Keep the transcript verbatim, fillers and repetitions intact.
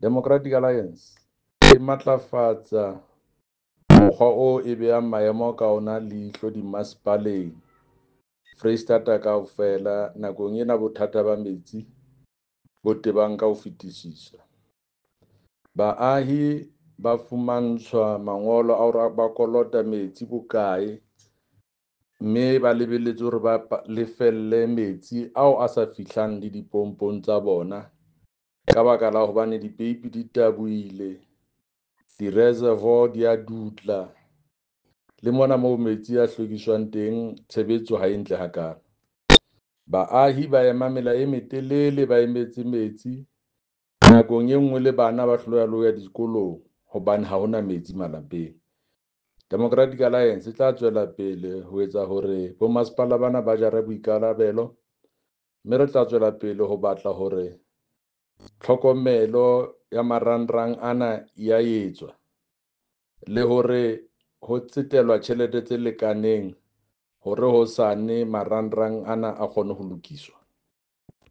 Democratic Alliance e matlafatsa mokgwa oo e behang maemo ka ona leihlo dimasepaleng Foreisetata kaofela nakong ena bothata ba metsi bo tebang ka ho fetisisa. Baahi ba fumantshwa mangolo a hore ba kolota metsi bokae mme ba lebelletswe hore ba lefelle metsi ao a sa fihlang le dipompong tsa bona ka baka la hobane dipeipi di tabohile, di-reservoir di a dutla le mona moo metsi a hlwekiswang teng tshebetso ha e ntle hakalo. Baahi ba ema mela e metelele, ba emetse metsi nakong e nngwe le bana ba hloleha le ho ya dikolong hobane ha hona metsi malapeng. Democratic Alliance e tla tswela pele ho etsa hore bomasepala bana ba jare boikarabelo mme re tla tswela pele ho batla hore tlhokomelo ya marangrang ana ya etswa le hore ho tsetelwa tjhelete tse lekaneng hore hosane marangrang ana a kgone ho lokiswa.